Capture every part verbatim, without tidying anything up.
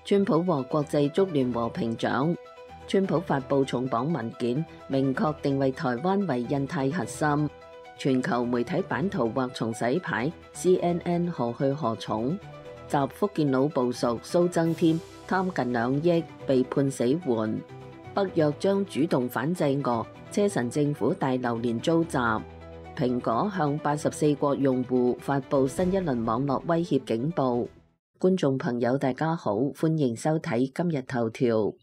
川普獲國際足聯和平獎。川普發布重磅文件，明確定位台灣為印太核心。全球媒體版圖或重洗牌 ，C N N 何去何從？集福建佬部屬蘇增添貪近兩億被判死緩。北約將主動反制俄，車臣政府大樓連遭襲。蘋果向八十四國用戶發布新一輪網絡威脅警報。觀眾朋友大家好，歡迎收睇今日頭條。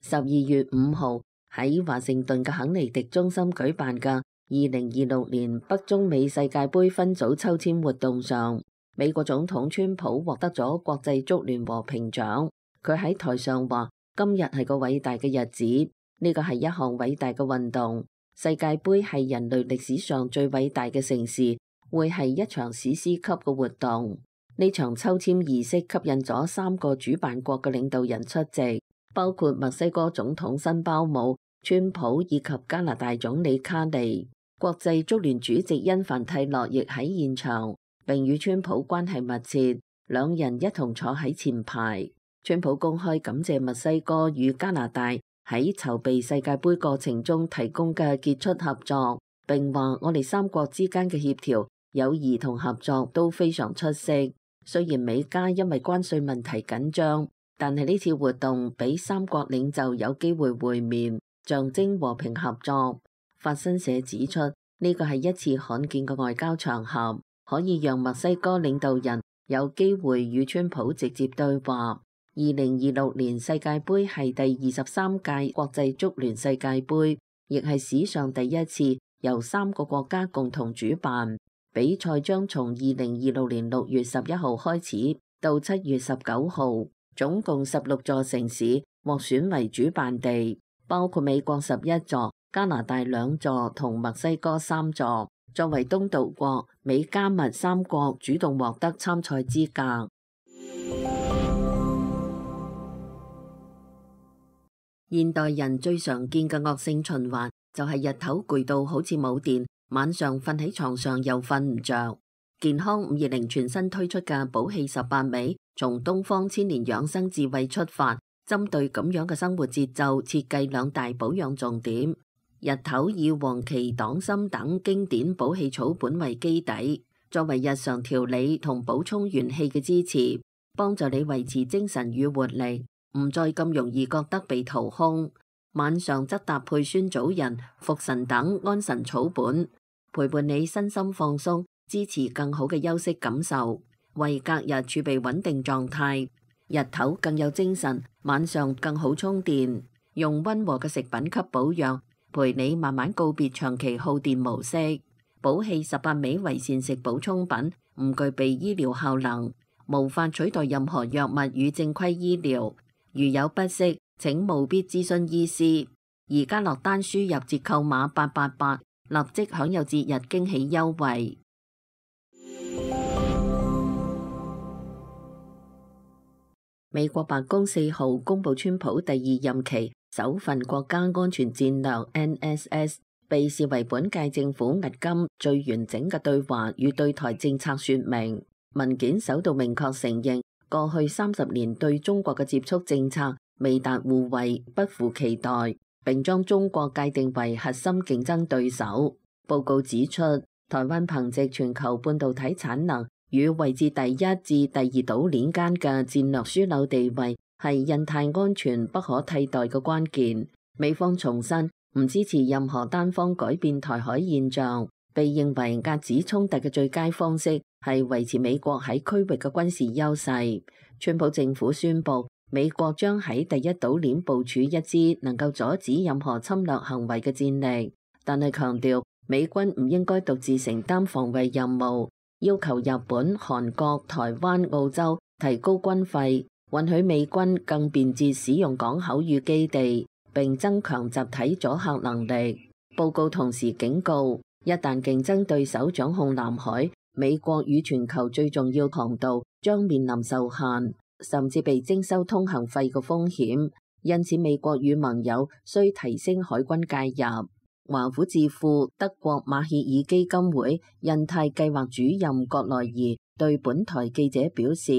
十二月五號喺華盛頓嘅肯尼迪中心舉辦嘅二零二六年北中美世界盃分組抽籤活動上，美國總統川普獲得咗國際足聯和平獎。佢喺台上話：今日係個偉大嘅日子，呢個係一項偉大嘅運動。世界盃係人類歷史上最偉大嘅盛事，會係一場史詩級嘅活動。呢場抽籤儀式吸引咗三個主辦國嘅領導人出席，包括墨西哥總統辛包姆、川普以及加拿大總理卡尼。國際足聯主席因凡蒂諾亦喺現場，並與川普關係密切，兩人一同坐喺前排。川普公開感謝墨西哥與加拿大喺籌備世界盃過程中提供嘅傑出合作，並話我哋三國之間嘅協調、友誼同合作都非常出色。雖然美加因為關稅問題緊張，但係呢次活動俾三國領袖有機會會面，象徵和平合作。法新社指出，呢個係一次罕見嘅外交場合，可以讓墨西哥領導人有機會與川普直接對話。二零二六年世界盃係第二十三屆國際足聯世界盃，亦係史上第一次由三個國家共同主辦。比賽將從二零二六年六月十一號開始到七月十九號，總共十六座城市獲選為主辦地，包括美國十一座、加拿大兩座同墨西哥三座。作為東道國，美加墨三國主動獲得參賽資格。現代人最常見嘅惡性循環就係日頭攰到好似冇電，晚上瞓喺床上又瞓唔着。健康五二零全新推出嘅寶氣十八味，從東方千年養生智慧出發，針對咁樣嘅生活節奏，設計兩大保養重點。日頭以黃芪、黨參等經典補氣草本為基底，作為日常調理同補充元氣嘅支持，幫助你維持精神與活力，唔再咁容易覺得被掏空。晚上則搭配酸棗仁、茯神等安神草本，陪伴你身心放鬆，支持更好嘅休息感受，為隔日儲備穩定狀態。日頭更有精神，晚上更好充電。用溫和嘅食品給保養，陪你慢慢告別長期耗電模式。寶氣十八味為膳食補充品，唔具備醫療效能，無法取代任何藥物與正規醫療。如有不適，請務必諮詢醫師。而家落單輸入折扣碼八八八，立即享有節日驚喜優惠。美國白宮四號公布川普第二任期首份國家安全戰略 N S S， 被視為本屆政府迄今最完整嘅對華與對台政策說明。文件首度明確承認，過去三十年對中國嘅接觸政策未達互惠，不符期待，並將中國界定為核心競爭對手。報告指出，台灣憑藉全球半導體產能與位置第一至第二島鏈間嘅戰略樞紐地位，係印太安全不可替代嘅關鍵。美方重申唔支持任何單方改變台海現狀，被認為遏止衝突嘅最佳方式係維持美國喺區域嘅軍事優勢。川普政府宣布，美國將喺第一島鏈部署一支能夠阻止任何侵略行為嘅戰力，但係強調美軍唔應該獨自承擔防衛任務，要求日本、韓國、台灣、澳洲提高軍費，允許美軍更便捷使用港口與基地，並增強集體阻嚇能力。報告同時警告，一旦競爭對手掌控南海，美國與全球最重要航道將面臨受限，甚至被徵收通行費嘅風險。因此，美國與盟友需提升海軍介入。華府智庫德國馬歇爾基金會印太計劃主任葛萊儀對本台記者表示，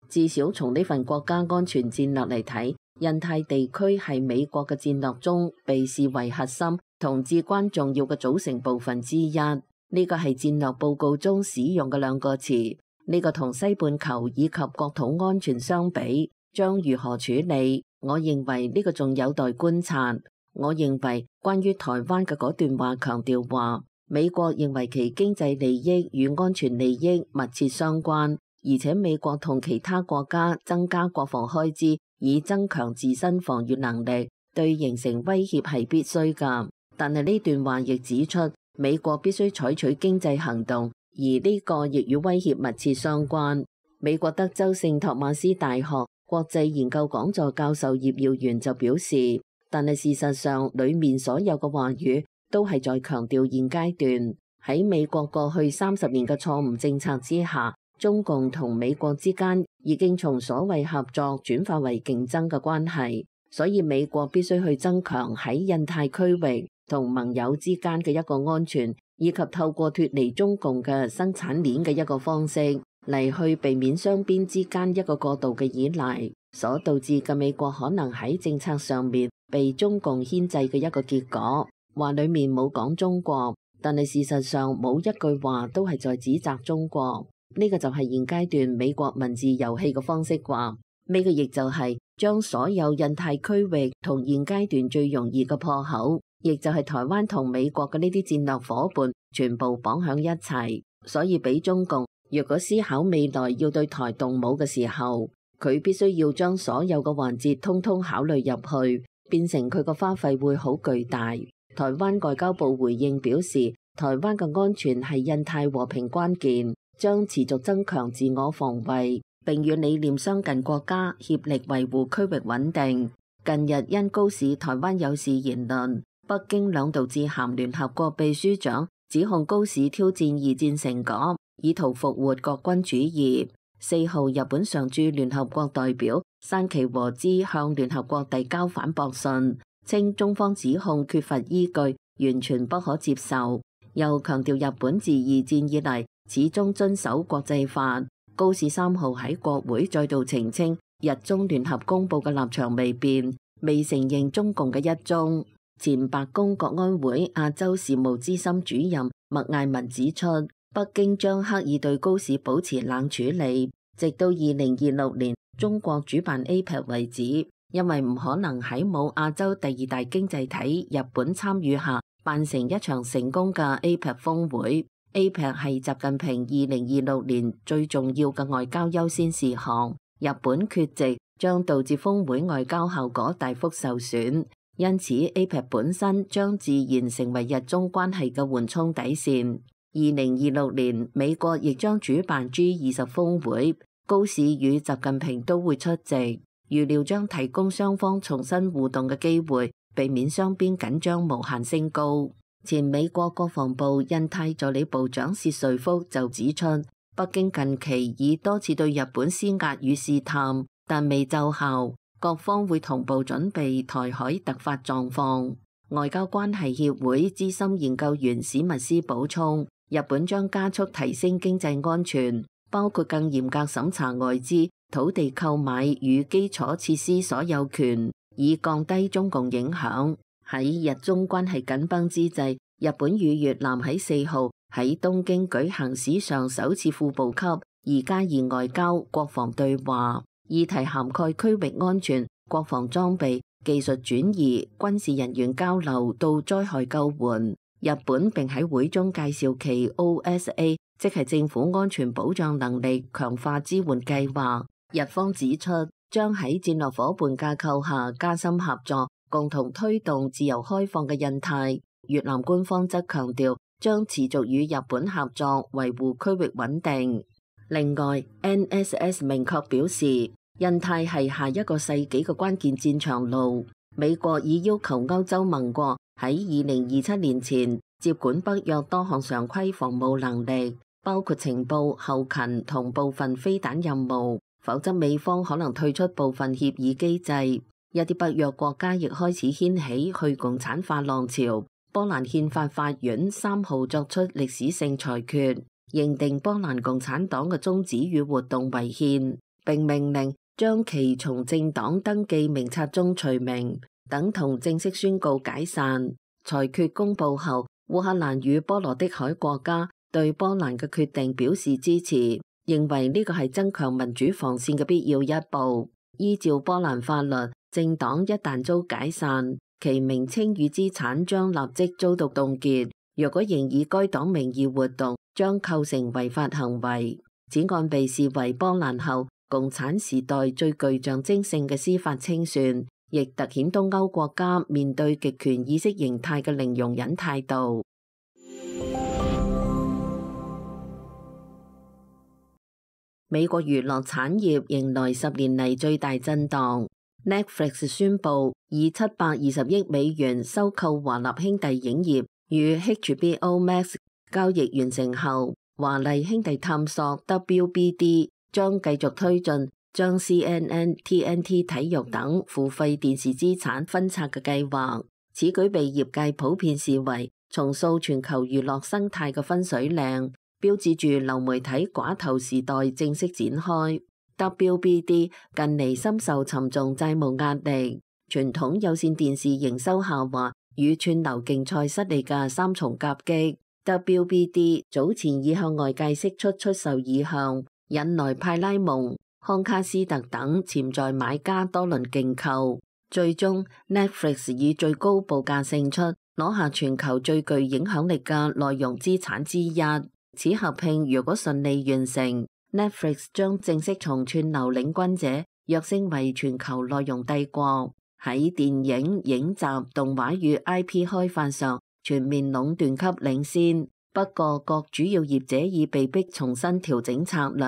至少從呢份國家安全戰略嚟睇，印太地區係美國嘅戰略中被視為核心同至關重要嘅組成部分之一。呢個係戰略報告中使用嘅兩個詞。呢個同西半球以及國土安全相比，將如何處理？我認為呢個仲有待觀察。我認為關於台灣嘅嗰段話強調話，美國認為其經濟利益與安全利益密切相關，而且美國同其他國家增加國防開支以增強自身防禦能力，對形成威脅係必須㗎。但係呢段話亦指出，美國必須採取經濟行動，而呢個亦與威脅密切相關。美國德州聖托馬斯大學國際研究講座教授葉耀元就表示，但係事實上，裡面所有嘅話語都係在強調現階段喺美國過去三十年嘅錯誤政策之下，中共同美國之間已經從所謂合作轉化為競爭嘅關係，所以美國必須去增強喺印太區域同盟友之間嘅一個安全，以及透過脫離中共嘅生產鏈嘅一個方式嚟去避免雙邊之間一個過度嘅依賴，所導致嘅美國可能喺政策上面被中共牽制嘅一個結果。話裡面冇講中國，但係事實上冇一句話都係在指責中國。呢個就係現階段美國文字遊戲嘅方式啩。呢個亦就係將所有印太區域同現階段最容易嘅破口，亦就係台灣同美國嘅呢啲戰略夥伴全部綁響一齊，所以俾中共若果思考未來要對台動武嘅時候，佢必須要將所有嘅環節通通考慮入去，變成佢個花費會好巨大。台灣外交部回應表示，台灣嘅安全係印太和平關鍵，將持續增強自我防衛，並與理念相近國家協力維護區域穩定。近日因高市台灣有事言論，北京兩度致函聯合國秘書長，指控高市挑戰二戰成果，以圖復活國軍主義。四號，日本常駐聯合國代表山崎和之向聯合國遞交反駁信，稱中方指控缺乏依據，完全不可接受。又強調日本自二戰以嚟始終遵守國際法。高市三號喺國會再度澄清，日中聯合公佈嘅立場未變，未承認中共嘅一中。前白宮國安會亞洲事務資深主任麥艾文指出，北京將刻意對高市保持冷處理，直到二零二六年中國主辦 A P E C 為止，因為唔可能喺冇亞洲第二大經濟體日本參與下辦成一場成功嘅 A P E C 峰會。A P E C 係習近平二零二六年最重要嘅外交優先事項，日本缺席將導致峰會外交效果大幅受損，因此 A P E C 本身將自然成為日中關係嘅緩衝底線。二零二六年美國亦將主辦 G 二十峰會，高市與習近平都會出席，預料將提供雙方重新互動嘅機會，避免雙邊緊張無限升高。前美國國防部印太助理部長薛瑞福就指出，北京近期已多次對日本施壓與試探，但未奏效，各方會同步準備台海突發狀況。外交關係協會資深研究員史密斯補充，日本將加速提升經濟安全，包括更嚴格審查外資、土地購買與基礎設施所有權，以降低中共影響。喺日中關係緊繃之際，日本與越南喺四號喺東京舉行史上首次副部級二加二外交國防對話，議題涵蓋區域安全、國防裝備、技術轉移、軍事人員交流到災害救援。日本並喺會中介紹其 O S A， 即係政府安全保障能力強化支援計劃。日方指出，將喺戰略夥伴架構下加深合作，共同推動自由開放嘅印太。越南官方則強調將持續與日本合作，維護區域穩定。另外 ，N S S 明確表示，印太係下一個世紀嘅關鍵戰場路。美國已要求歐洲盟國喺二零二七年前接管北約多項常規防務能力，包括情報、後勤同部分飛彈任務，否則美方可能退出部分協議機制。一啲北約國家亦開始掀起去共產化浪潮。波蘭憲法法院三號作出歷史性裁決，認定波蘭共產黨嘅宗旨與活動違憲，並命令將其從政黨登記名冊中除名，等同正式宣告解散。裁決公佈後，烏克蘭與波羅的海國家對波蘭嘅決定表示支持，認為呢個係增強民主防線嘅必要一步。依照波蘭法律，政黨一旦遭解散，其名稱與資產將立即遭到凍結。若果仍以該黨名義活動，將構成違法行為。此案被視為波蘭後共產時代最具象徵性嘅司法清算，亦凸顯東歐國家面對極權意識形態嘅零容忍態度。美國娛樂產業迎來十年嚟最大震盪。Netflix 宣布以七百二十億美元收購華納兄弟影業，與 H B O Max 交易完成後，華麗兄弟探索 W B D 將繼續推進將 C N N、T N T 體育等付費電視資產分拆嘅計劃。此舉被業界普遍視為重塑全球娛樂生態嘅分水嶺，標誌住流媒體寡頭時代正式展開。W B D 近嚟深受沉重債務壓力，傳統有線電視營收下滑與串流競賽失利嘅三重夾擊。W B D 早前已向外界釋出出售意向，引來派拉蒙、康卡斯特等潛在買家多輪競購，最終 Netflix 以最高報價勝出，攞下全球最具影響力嘅內容資產之一。此合併如果順利完成，Netflix 將正式從串流領軍者躍升為全球內容帝國，喺電影、影集、動畫與 I P 開發上全面壟斷級領先。不過，各主要業者已被迫重新調整策略。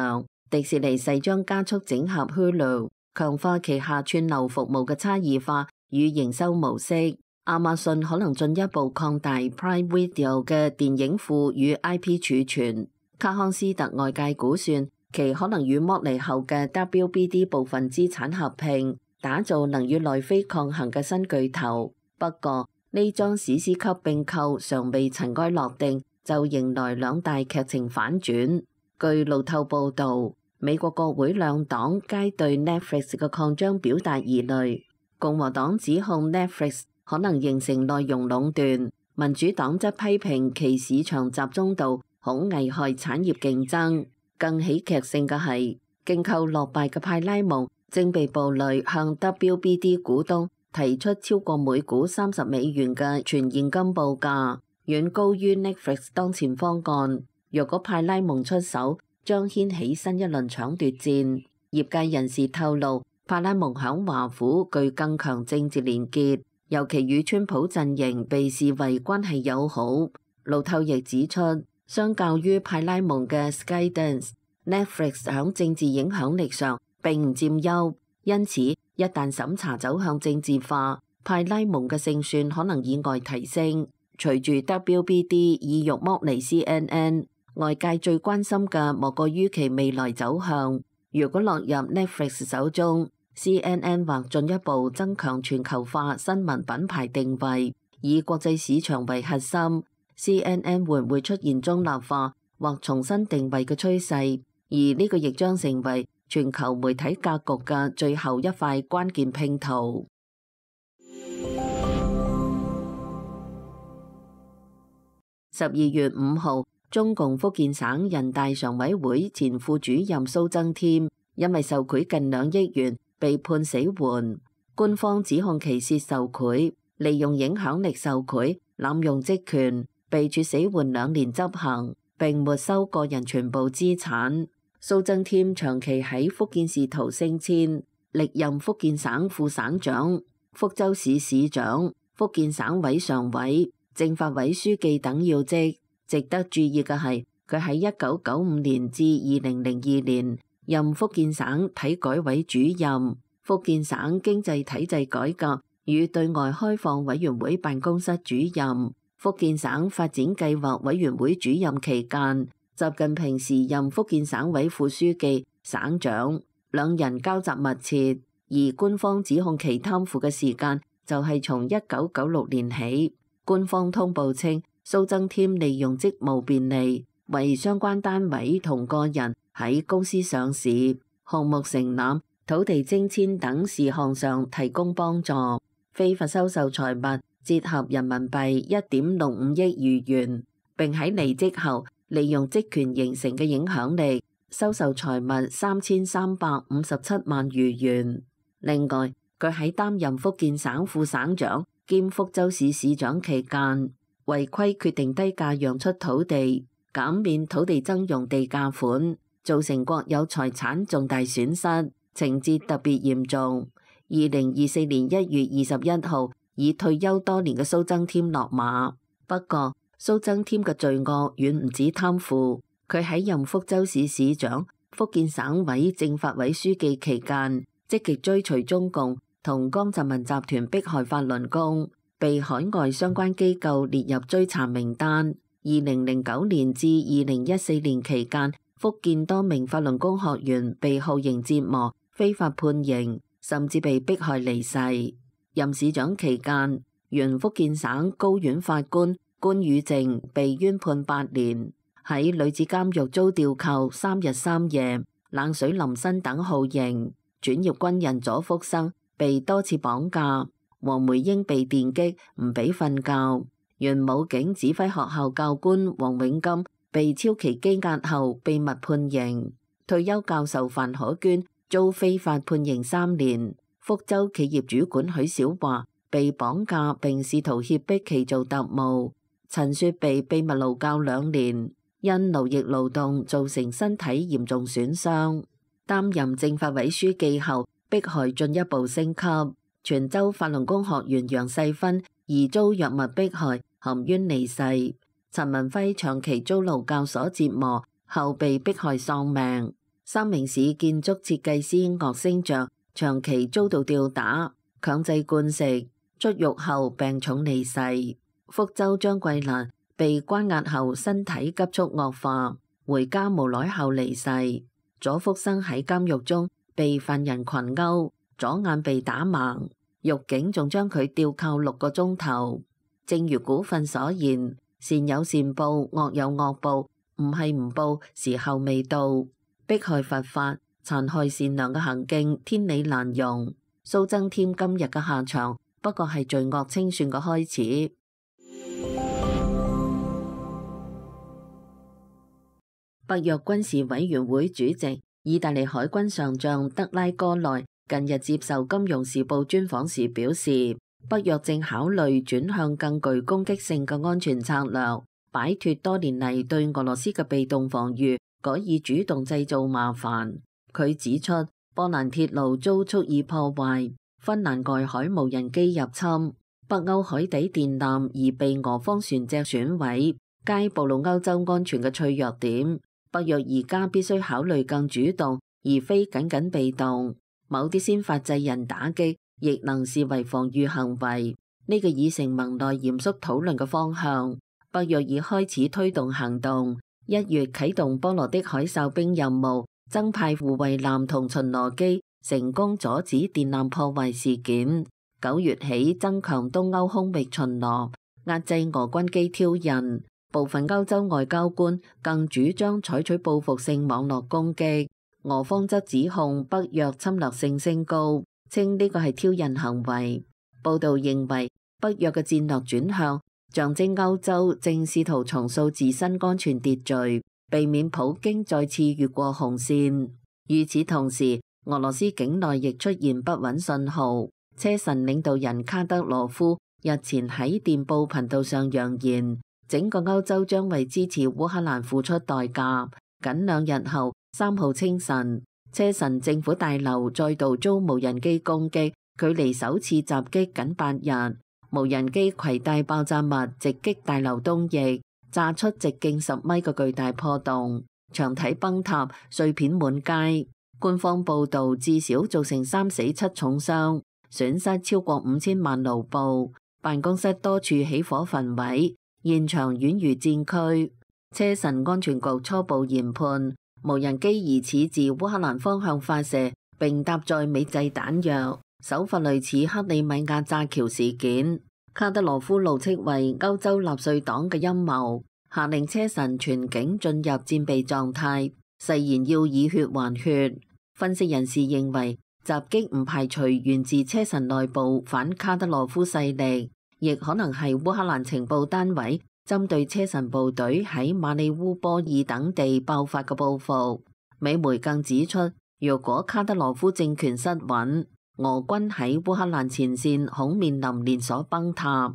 迪士尼勢將加速整合 Hulu， 強化旗下串流服務嘅差異化與營收模式。亞馬遜可能進一步擴大 Prime Video 嘅電影庫與 I P 儲存。卡康斯特外界估算，其可能與剝離後嘅 W B D 部分資產合併，打造能與奈飛抗衡嘅新巨頭。不過，呢樁史詩級併購尚未塵埃落定，就迎來兩大劇情反轉。據路透報導，美國國會兩黨皆對 Netflix 嘅擴張表達疑慮。共和黨指控 Netflix 可能形成內容壟斷，民主黨則批評其市場集中度恐危害產業競爭。更喜劇性嘅係，競購落敗嘅派拉蒙正被步雷向 W B D 股東提出超過每股三十美元嘅全現金報價，遠高於 Netflix 當前方案。若果派拉蒙出手，將掀起新一輪搶奪戰。業界人士透露，派拉蒙響華府具更強政治連結，尤其與川普陣營被視為關係友好。路透亦指出，相較於派拉蒙嘅 Skydance，Netflix 響政治影響力上並唔佔優，因此一旦審查走向政治化，派拉蒙嘅勝算可能意外提升。隨住 W B D 意欲剝離 C N N， 外界最關心嘅莫過於其未來走向。如果落入 Netflix 手中， C N N 或進一步增強全球化新聞品牌定位，以國際市場為核心。C N N 會唔會出現中立化或重新定位嘅趨勢？而呢個亦將成為全球媒體格局嘅最後一塊關鍵拼圖。十二月五號，中共福建省人大常委會前副主任蘇增添因為受賄近兩億元被判死緩，官方指控其涉受賄，利用影響力受賄，濫用職權，被處死緩兩年執行，並沒收個人全部資產。蘇增添長期喺福建仕途升遷，歷任福建省副省長、福州市市長、福建省委常委、政法委書記等要職。值得注意嘅係，佢喺一九九五年至二零零二年任福建省體改委主任、福建省經濟體制改革與對外開放委員會辦公室主任、福建省發展計劃委員會主任期間，習近平時任福建省委副書記、省長，兩人交集密切。而官方指控其貪腐嘅時間就係從一九九六年起。官方通報稱，蘇增添利用職務便利，為相關單位同個人喺公司上市、項目承攬、土地徵遷等事項上提供幫助，非法收受財物折合人民幣一點六五億餘元，並喺離職後利用職權形成嘅影響力收受財物三千三百五十七萬餘元。另外，佢喺擔任福建省副省長兼福州市市長期間，違規決定低價讓出土地，減免土地增用地價款，造成國有財產重大損失，情節特別嚴重。二零二四年一月二十一號，已退休多年嘅蘇增添落馬。不過，蘇增添嘅罪惡遠唔止貪腐，佢喺任福州市市長、福建省委政法委書記期間，積極追隨中共同江澤民集團迫害法輪功，被海外相關機構列入追查名單。二零零九年至二零一四年期間，福建多名法輪功學員被酷刑折磨、非法判刑，甚至被迫害離世。任市長期間，原福建省高院法官關宇正被冤判八年，喺女子監獄遭吊扣三日三夜、冷水淋身等酷刑。轉業軍人左福生被多次綁架，黃梅英被電擊唔俾瞓覺。原武警指揮學校教官黃永金被超期羈押後秘密判刑。退休教授范可娟遭非法判刑三年。福州企業主管許小華被綁架並試圖脅迫其做特務。陳雪被秘密勞教兩年，因勞役勞動造成身體嚴重損傷。擔任政法委書記後，迫害進一步升級。泉州法輪功學員楊世芬疑遭藥物迫害，含冤離世。陳文輝長期遭勞教所折磨，後被迫害喪命。三明市建築設計師岳星爵長期遭到吊打、強制灌食，出獄後病重離世。福州張桂蘭被關押後身體急速惡化，回家無耐後離世。左福生喺監獄中被犯人群毆，左眼被打盲，獄警仲將佢吊扣六個鐘頭。正如古訓所言，善有善報，惡有惡報，唔係唔報，時候未到。迫害佛法、殘害善良嘅行徑，天理難容。蘇增添今日嘅下場，不過係罪惡清算嘅開始。北約軍事委員會主席、意大利海軍上將德拉戈內近日接受《金融時報》專訪時表示，北約正考慮轉向更具攻擊性嘅安全策略，擺脫多年嚟對俄羅斯嘅被動防禦，改以主動製造麻煩。佢指出，波蘭鐵路遭蓄意破壞，芬蘭外海無人機入侵，北歐海底電纜而被俄方船隻損毀，皆暴露歐洲安全嘅脆弱點。北約而家必須考慮更主動，而非僅僅被動。某啲先發制人打擊，亦能視為防禦行為。呢、這個已成盟內嚴肅討論嘅方向。北約已開始推動行動。一月啟動波羅的海哨兵任務，增派護衛艦同巡邏機，成功阻止電纜破壞事件。九月起增強東歐空域巡邏，壓制俄軍機挑釁。部分歐洲外交官更主張採取報復性網絡攻擊，俄方則指控北約侵略性升高，稱呢個係挑釁行為。報道認為，北約嘅戰略轉向象徵歐洲正試圖重塑自身安全秩序，避免普京再次越過紅線。與此同時，俄羅斯境內亦出現不穩信號。車臣領導人卡德羅夫日前喺電報頻道上揚言，整個歐洲將為支持烏克蘭付出代價。僅兩日後，三號清晨，車臣政府大樓再度遭無人機攻擊，距離首次襲擊僅八日。無人機攜帶爆炸物直擊大樓東翼，炸出直徑十米嘅巨大破洞，牆體崩塌，碎片滿街。官方報導至少造成三死七重傷，損失超過五千萬盧布，辦公室多處起火焚毀。現場宛如戰區。車臣安全局初步研判，無人機疑似自烏克蘭方向發射，並搭載美製彈藥，手法類似克里米亞炸橋事件。卡德羅夫怒斥為歐洲納粹黨嘅陰謀，下令車臣全境進入戰備狀態，誓言要以血還血。分析人士認為，襲擊唔排除源自車臣內部反卡德羅夫勢力，亦可能係烏克蘭情報單位針對車臣部隊喺馬里烏波爾等地爆發嘅報復。美媒更指出，若果卡德羅夫政權失穩，俄軍喺烏克蘭前線恐面臨連鎖崩塌。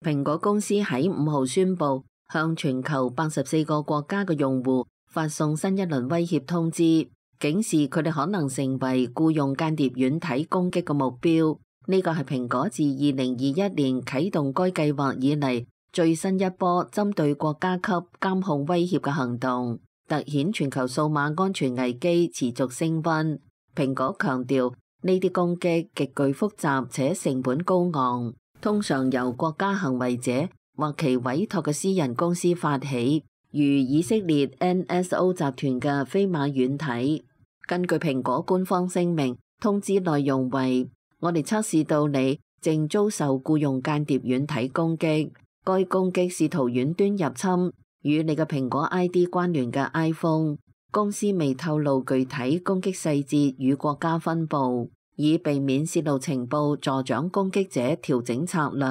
蘋果公司喺五號宣布，向全球八十四個國家嘅用戶發送新一輪威脅通知，警示佢哋可能成為僱用間諜軟體攻擊嘅目標。呢個係蘋果自二零二一年啟動該計劃以嚟最新一波針對國家級監控威脅嘅行動，凸顯全球數碼安全危機持續升溫。蘋果強調，呢啲攻擊極具複雜且成本高昂，通常由國家行為者或其委託嘅私人公司發起，如以色列 N S O 集團嘅飛馬軟體。根據蘋果官方聲明，通知內容為：我哋測試到你正遭受僱用間諜軟體攻擊，該攻擊試圖遠端入侵與你嘅蘋果 I D 關聯嘅 iPhone。公司未透露具體攻擊細節與國家分佈，以避免泄露情報助長攻擊者調整策略。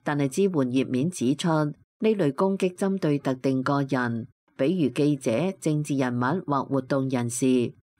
但係支援頁面指出，呢類攻擊針對特定個人，比如記者、政治人物或活動人士，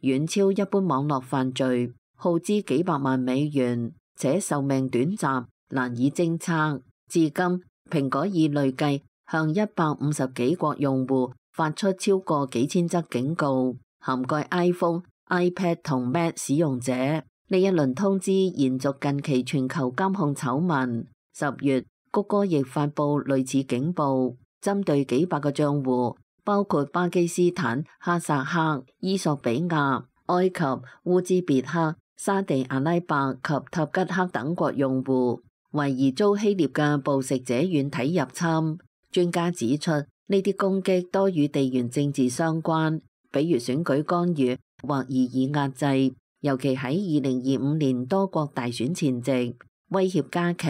遠超一般網絡犯罪，耗資幾百萬美元，且壽命短暫，難以偵測。至今，蘋果已累計向一百五十幾國用戶發出超過幾千則警告，涵蓋 iPhone、iPad 同 Mac 使用者。呢一輪通知延續近期全球監控醜聞。十月，谷歌亦發布類似警報，針對幾百個賬戶，包括巴基斯坦、哈薩克、伊索比亞、埃及、烏茲別克、沙地阿拉伯及塔吉克等國用戶，懷疑遭希臘嘅捕食者軟體入侵。專家指出，呢啲攻擊多與地緣政治相關，比如選舉干預或異議壓制，尤其喺二零二五年多國大選前夕，威脅加劇。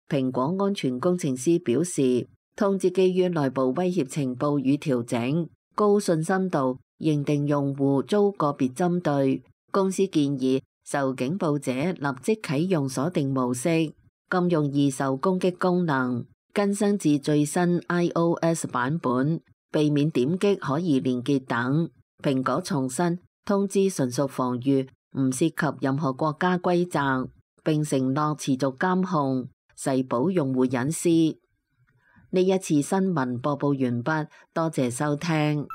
蘋果安全工程師表示，通知基於內部威脅情報與調整，高信心度認定用戶遭個別針對。公司建議受警報者立即啟用鎖定模式，禁用易受攻擊功能，更新至最新 iOS 版本，避免點擊可疑連結等。蘋果重申，通知純屬防禦，唔涉及任何國家規則，並承諾持續監控，誓保用戶隱私。呢一次新聞播報完畢，多謝收聽。